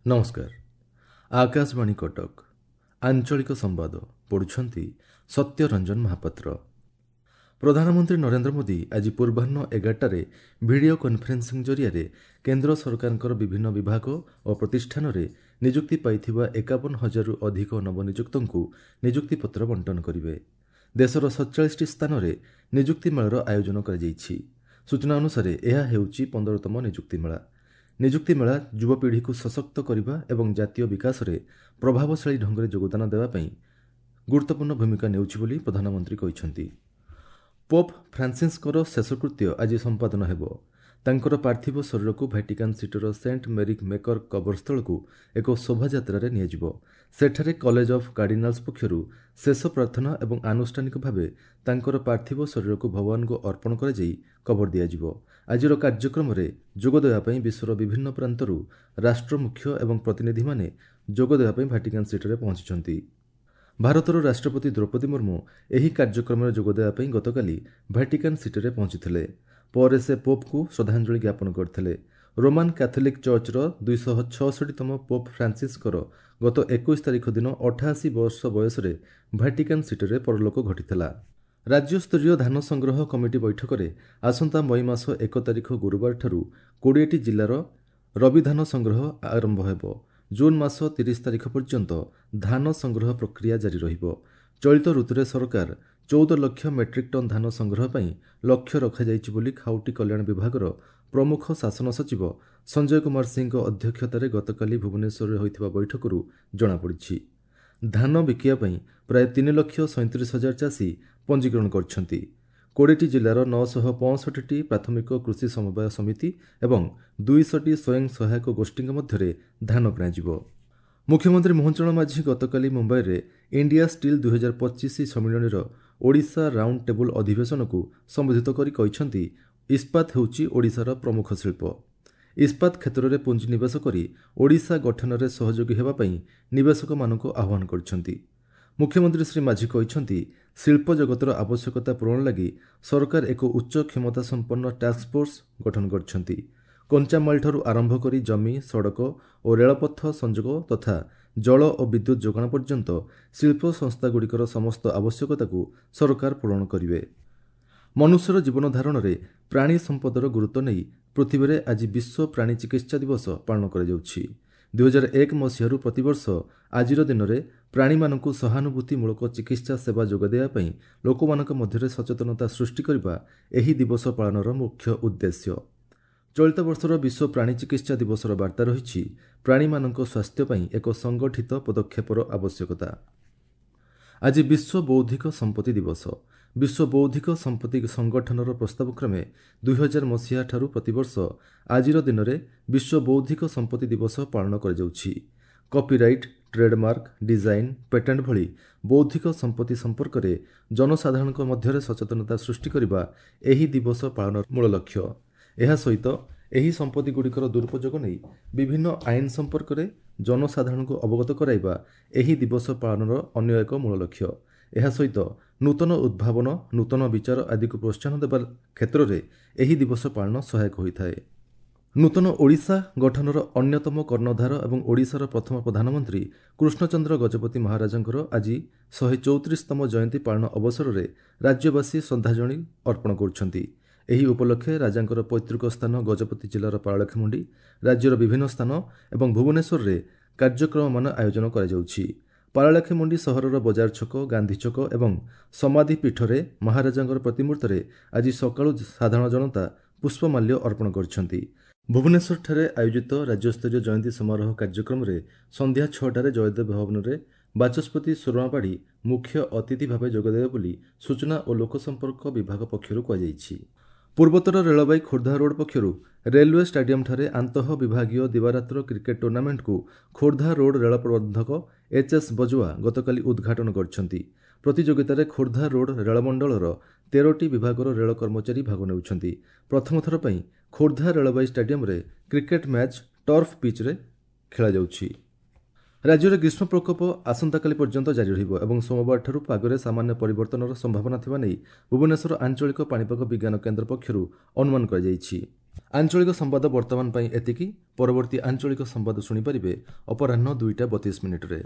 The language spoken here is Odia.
ନମସ୍କାର, ଆକାଶବାଣୀ କଟକ, ଆଞ୍ଚଳିକ ସମ୍ବାଦ ପଢ଼ୁଛନ୍ତି ସତ୍ୟ ରଞ୍ଜନ ମହାପାତ୍ର। ପ୍ରଧାନମନ୍ତ୍ରୀ ନରେନ୍ଦ୍ର ମୋଦି ଆଜି ପୂର୍ବାହ୍ନ 11ଟାରେ ଭିଡ଼ିଓ କନ୍ଫରେନ୍ସିଂ ଜରିଆରେ କେନ୍ଦ୍ର ସରକାରଙ୍କର ବିଭିନ୍ନ ବିଭାଗ ଓ ପ୍ରତିଷ୍ଠାନରେ ନିଯୁକ୍ତି ପାଇଥିବା 51 ହଜାରରୁ ଅଧିକ ନବନିଯୁକ୍ତଙ୍କୁ ନିଯୁକ୍ତିପତ୍ର ବଣ୍ଟନ କରିବେ। ଦେଶର 47ଟି ସ୍ଥାନରେ ନିଯୁକ୍ତି ମେଳାର ଆୟୋଜନ କରାଯାଇଛି। ସୂଚନା ଅନୁସାରେ ଏହା ହେଉଛି 15ତମ ନିଯୁକ୍ତି ମେଳା। ନିଯୁକ୍ତି ମେଳା ଯୁବପିଢ଼ିକୁ ସଶକ୍ତ କରିବା ଏବଂ ଜାତୀୟ ବିକାଶରେ ପ୍ରଭାବଶାଳୀ ଢଙ୍ଗରେ ଯୋଗଦାନ ଦେବା ପାଇଁ ଗୁରୁତ୍ୱପୂର୍ଣ୍ଣ ଭୂମିକା ନେଉଛି ବୋଲି ପ୍ରଧାନମନ୍ତ୍ରୀ କହିଛନ୍ତି। ପୋପ୍ ଫ୍ରାନ୍ସିସ୍ଙ୍କର ଶେଷକୃତ୍ୟ ଆଜି ସମ୍ପାଦନ ହେବ। ତାଙ୍କର ପାର୍ଥିବ ଶରୀରକୁ ଭାଟିକାନ୍ ସିଟିର ସେଣ୍ଟ ମେରି ମେକର କବରସ୍ଥଳକୁ ଏକ ଶୋଭାଯାତ୍ରାରେ ନିଆଯିବ। ସେଠାରେ କଲେଜ ଅଫ୍ କାର୍ଡିନାଲ୍ସ ପକ୍ଷରୁ ଶେଷ ପ୍ରାର୍ଥନା ଏବଂ ଆନୁଷ୍ଠାନିକ ଭାବେ ତାଙ୍କର ପାର୍ଥିବ ଶରୀରକୁ ଭଗବାନଙ୍କୁ ଅର୍ପଣ କରାଯାଇ କବର ଦିଆଯିବ। ଆଜିର କାର୍ଯ୍ୟକ୍ରମରେ ଯୋଗ ଦେବା ପାଇଁ ବିଶ୍ୱର ବିଭିନ୍ନ ପ୍ରାନ୍ତରୁ ରାଷ୍ଟ୍ରମୁଖ୍ୟ ଏବଂ ପ୍ରତିନିଧିମାନେ ଯୋଗ ଦେବା ପାଇଁ ଭାଟିକାନ୍ ସିଟିରେ ପହଞ୍ଚିଛନ୍ତି। ଭାରତର ରାଷ୍ଟ୍ରପତି ଦ୍ରୌପଦୀ ମୁର୍ମୁ ଏହି କାର୍ଯ୍ୟକ୍ରମରେ ଯୋଗ ଦେବା ପାଇଁ ଗତକାଲି ଭାଟିକାନ୍ ସିଟିରେ ପହଞ୍ଚିଥିଲେ। ପରେ ସେ ପୋପ୍ଙ୍କୁ ଶ୍ରଦ୍ଧାଞ୍ଜଳି ଜ୍ଞାପନ କରିଥିଲେ। ରୋମାନ୍ କ୍ୟାଥୋଲିକ୍ ଚର୍ଚ୍ଚର 266ତମ ପୋପ୍ ଫ୍ରାନ୍ସିସ୍ଙ୍କର ଗତ 21 ତାରିଖ ଦିନ 88 ବର୍ଷ ବୟସରେ ଭାଟିକାନ୍ ସିଟିରେ ପରଲୋକ ଘଟିଥିଲା। ରାଜ୍ୟସ୍ତରୀୟ ଧାନ ସଂଗ୍ରହ କମିଟି ବୈଠକରେ ଆସନ୍ତା ମଇ ମାସ 1 ତାରିଖ ଗୁରୁବାରଠାରୁ 20ଟି ଜିଲ୍ଲାର ରବି ଧାନ ସଂଗ୍ରହ ଆରମ୍ଭ ହେବ। ଜୁନ୍ ମାସ 30 ତାରିଖ ପର୍ଯ୍ୟନ୍ତ ଧାନ ସଂଗ୍ରହ ପ୍ରକ୍ରିୟା ଜାରି ରହିବ। ଚଳିତ ଋତୁରେ ସରକାର 14 ଲକ୍ଷ ମେଟ୍ରିକ୍ ଟନ୍ ଧାନ ସଂଗ୍ରହ ପାଇଁ ଲକ୍ଷ୍ୟ ରଖାଯାଇଛି ବୋଲି ଖାଉଟି କଲ୍ୟାଣ ବିଭାଗର ପ୍ରମୁଖ ଶାସନ ସଚିବ ସଞ୍ଜୟ କୁମାର ସିଂଙ୍କ ଅଧ୍ୟକ୍ଷତାରେ ଗତକାଲି ଭୁବନେଶ୍ୱରରେ ହୋଇଥିବା ବୈଠକରୁ ଜଣାପଡ଼ିଛି। ଧାନ ବିକିବା ପାଇଁ ପ୍ରାୟ 3,37,000 ଚାଷୀ ପଞ୍ଜୀକରଣ କରିଛନ୍ତି। 20ଟି ଜିଲ୍ଲାର 965ଟି ପ୍ରାଥମିକ କୃଷି ସମବାୟ ସମିତି ଏବଂ 200ଟି ସ୍ୱୟଂ ସହାୟକ ଗୋଷ୍ଠୀଙ୍କ ମଧ୍ୟରେ ଧାନ କିଣାଯିବ। ମୁଖ୍ୟମନ୍ତ୍ରୀ ମୋହନ ଚରଣ ମାଝୀ ଗତକାଲି ମୁମ୍ବାଇରେ ଇଣ୍ଡିଆ ଷ୍ଟିଲ୍ 2025 ସମ୍ମିଳନୀର ଓଡ଼ିଶା ରାଉଣ୍ଡ ଟେବୁଲ୍ ଅଧିବେଶନକୁ ସମ୍ବୋଧିତ କରି କହିଛନ୍ତି, ଇସ୍ପାତ ହେଉଛି ଓଡ଼ିଶାର ପ୍ରମୁଖ ଶିଳ୍ପ। ଇସ୍ପାତ କ୍ଷେତ୍ରରେ ପୁଞ୍ଜିନିବେଶ କରି ଓଡ଼ିଶା ଗଠନରେ ସହଯୋଗୀ ହେବା ପାଇଁ ନିବେଶକମାନଙ୍କୁ ଆହ୍ୱାନ କରିଛନ୍ତି। ମୁଖ୍ୟମନ୍ତ୍ରୀ ଶ୍ରୀ ମାଝୀ କହିଛନ୍ତି, ଶିଳ୍ପ ଜଗତର ଆବଶ୍ୟକତା ପୂରଣ ଲାଗି ସରକାର ଏକ ଉଚ୍ଚ କ୍ଷମତା ସମ୍ପନ୍ନ ଟାସ୍କଫୋର୍ସ ଗଠନ କରିଛନ୍ତି। କଞ୍ଚାମାଲଠାରୁ ଆରମ୍ଭ କରି ଜମି, ସଡ଼କ ଓ ରେଳପଥ ସଂଯୋଗ ତଥା ଜଳ ଓ ବିଦ୍ୟୁତ୍ ଯୋଗାଣ ପର୍ଯ୍ୟନ୍ତ ଶିଳ୍ପ ସଂସ୍ଥାଗୁଡ଼ିକର ସମସ୍ତ ଆବଶ୍ୟକତାକୁ ସରକାର ପୂରଣ କରିବେ। ମନୁଷ୍ୟର ଜୀବନଧାରଣରେ ପ୍ରାଣୀ ସମ୍ପଦର ଗୁରୁତ୍ୱ ନେଇ ପୃଥିବୀରେ ଆଜି ବିଶ୍ୱ ପ୍ରାଣୀ ଚିକିତ୍ସା ଦିବସ ପାଳନ କରାଯାଉଛି। 2001 ମସିହାରୁ ପ୍ରତିବର୍ଷ ଆଜିର ଦିନରେ ପ୍ରାଣୀମାନଙ୍କୁ ସହାନୁଭୂତିମୂଳକ ଚିକିତ୍ସା ସେବା ଯୋଗାଇ ଦେବା ପାଇଁ ଲୋକମାନଙ୍କ ମଧ୍ୟରେ ସଚେତନତା ସୃଷ୍ଟି କରିବା ଏହି ଦିବସ ପାଳନର ମୁଖ୍ୟ ଉଦ୍ଦେଶ୍ୟ। ଚଳିତ ବର୍ଷର ବିଶ୍ୱ ପ୍ରାଣୀ ଚିକିତ୍ସା ଦିବସର ବାର୍ତ୍ତା ରହିଛି, ପ୍ରାଣୀମାନଙ୍କ ସ୍ୱାସ୍ଥ୍ୟ ପାଇଁ ଏକ ସଂଗଠିତ ପଦକ୍ଷେପର ଆବଶ୍ୟକତା। ଆଜି ବିଶ୍ୱ ବୌଦ୍ଧିକ ସମ୍ପତ୍ତି ଦିବସ। ବିଶ୍ୱ ବୌଦ୍ଧିକ ସମ୍ପତ୍ତି ସଂଗଠନର ପ୍ରସ୍ତାବ କ୍ରମେ 2000 ମସିହାଠାରୁ ପ୍ରତିବର୍ଷ ଆଜିର ଦିନରେ ବିଶ୍ୱ ବୌଦ୍ଧିକ ସମ୍ପତ୍ତି ଦିବସ ପାଳନ କରାଯାଉଛି। କପିରାଇଟ୍, ଟ୍ରେଡମାର୍କ, ଡିଜାଇନ୍, ପେଟେଣ୍ଟ ଭଳି ବୌଦ୍ଧିକ ସମ୍ପତ୍ତି ସମ୍ପର୍କରେ ଜନସାଧାରଣଙ୍କ ମଧ୍ୟରେ ସଚେତନତା ସୃଷ୍ଟି କରିବା ଏହି ଦିବସ ପାଳନର ମୂଳ ଲକ୍ଷ୍ୟ। ଏହା ସହିତ ଏହି ସମ୍ପତ୍ତିଗୁଡ଼ିକର ଦୁରୁପଯୋଗ ନେଇ ବିଭିନ୍ନ ଆଇନ ସମ୍ପର୍କରେ ଜନସାଧାରଣଙ୍କୁ ଅବଗତ କରାଇବା ଏହି ଦିବସ ପାଳନର ଅନ୍ୟ ଏକ ମୂଳ ଲକ୍ଷ୍ୟ। ଏହା ସହିତ ନୂତନ ଉଦ୍ଭାବନ, ନୂତନ ବିଚାର ଆଦିକୁ ପ୍ରୋତ୍ସାହନ ଦେବା କ୍ଷେତ୍ରରେ ଏହି ଦିବସ ପାଳନ ସହାୟକ ହୋଇଥାଏ। ନୂତନ ଓଡ଼ିଶା ଗଠନର ଅନ୍ୟତମ କର୍ଣ୍ଣଧାର ଏବଂ ଓଡ଼ିଶାର ପ୍ରଥମ ପ୍ରଧାନମନ୍ତ୍ରୀ କୃଷ୍ଣଚନ୍ଦ୍ର ଗଜପତି ମହାରାଜଙ୍କର ଆଜି 134ତମ ଜୟନ୍ତୀ ପାଳନ ଅବସରରେ ରାଜ୍ୟବାସୀ ଶ୍ରଦ୍ଧାଞ୍ଜଳି ଅର୍ପଣ କରୁଛନ୍ତି। ଏହି ଉପଲକ୍ଷେ ରାଜାଙ୍କର ପୈତୃକ ସ୍ଥାନ ଗଜପତି ଜିଲ୍ଲାର ପାରଳାଖେମୁଣ୍ଡି, ରାଜ୍ୟର ବିଭିନ୍ନ ସ୍ଥାନ ଏବଂ ଭୁବନେଶ୍ୱରରେ କାର୍ଯ୍ୟକ୍ରମମାନ ଆୟୋଜନ କରାଯାଉଛି। ପାରଳାଖେମୁଣ୍ଡି ସହରର ବଜାର ଛକ, ଗାନ୍ଧୀ ଛକ ଏବଂ ସମାଧି ପୀଠରେ ମହାରାଜାଙ୍କର ପ୍ରତିମୂର୍ତ୍ତିରେ ଆଜି ସକାଳୁ ସାଧାରଣ ଜନତା ପୁଷ୍ପମାଲ୍ୟ ଅର୍ପଣ କରିଛନ୍ତି। ଭୁବନେଶ୍ୱରଠାରେ ଆୟୋଜିତ ରାଜ୍ୟସ୍ତରୀୟ ଜୟନ୍ତୀ ସମାରୋହ କାର୍ଯ୍ୟକ୍ରମରେ ସନ୍ଧ୍ୟା 6ଟାରେ ଜୟଦେବ ଭବନରେ ବାଚସ୍ପତି ସୁରମା ପାଢ଼ୀ ମୁଖ୍ୟ ଅତିଥି ଭାବେ ଯୋଗଦେବେ ବୋଲି ସୂଚନା ଓ ଲୋକସମ୍ପର୍କ ବିଭାଗ ପକ୍ଷରୁ କୁହାଯାଇଛି। ପୂର୍ବତଟ ରେଳବାଇ ଖୋର୍ଦ୍ଧା ରୋଡ୍ ପକ୍ଷରୁ ରେଲୱେ ଷ୍ଟାଡିୟମ୍ଠାରେ ଆନ୍ତଃ ବିଭାଗୀୟ ଦିବାରାତ୍ର କ୍ରିକେଟ୍ ଟୁର୍ଣ୍ଣାମେଣ୍ଟକୁ ଖୋର୍ଦ୍ଧା ରୋଡ୍ ରେଳ ପ୍ରବନ୍ଧକ ଏଚ୍ ଏସ୍ ବଜୱା ଗତକାଲି ଉଦ୍ଘାଟନ କରିଛନ୍ତି। ପ୍ରତିଯୋଗିତାରେ ଖୋର୍ଦ୍ଧା ରୋଡ୍ ରେଳମଣ୍ଡଳର 13ଟି ବିଭାଗର ରେଳ କର୍ମଚାରୀ ଭାଗ ନେଉଛନ୍ତି। ପ୍ରଥମ ଥର ପାଇଁ ଖୋର୍ଦ୍ଧା ରେଳବାଇ ଷ୍ଟାଡିୟମ୍ରେ କ୍ରିକେଟ୍ ମ୍ୟାଚ୍ ଟର୍ଫ ପିଚ୍ରେ ଖେଳାଯାଉଛି। ରାଜ୍ୟରେ ଗ୍ରୀଷ୍ମ ପ୍ରକୋପ ଆସନ୍ତାକାଲି ପର୍ଯ୍ୟନ୍ତ ଜାରି ରହିବ ଏବଂ ସୋମବାରଠାରୁ ପାଗରେ ସାମାନ୍ୟ ପରିବର୍ତ୍ତନର ସମ୍ଭାବନା ଥିବା ନେଇ ଭୁବନେଶ୍ୱର ଆଞ୍ଚଳିକ ପାଣିପାଗ ବିଜ୍ଞାନ କେନ୍ଦ୍ର ପକ୍ଷରୁ ଅନୁମାନ କରାଯାଇଛି। ଆଞ୍ଚଳିକ ସମ୍ବାଦ ବର୍ତ୍ତମାନ ପାଇଁ ଏତିକି। ପରବର୍ତ୍ତୀ ଆଞ୍ଚଳିକ ସମ୍ବାଦ ଶୁଣିପାରିବେ ଅପରାହ୍ନ 2ଟା 32 ମିନିଟ୍ରେ।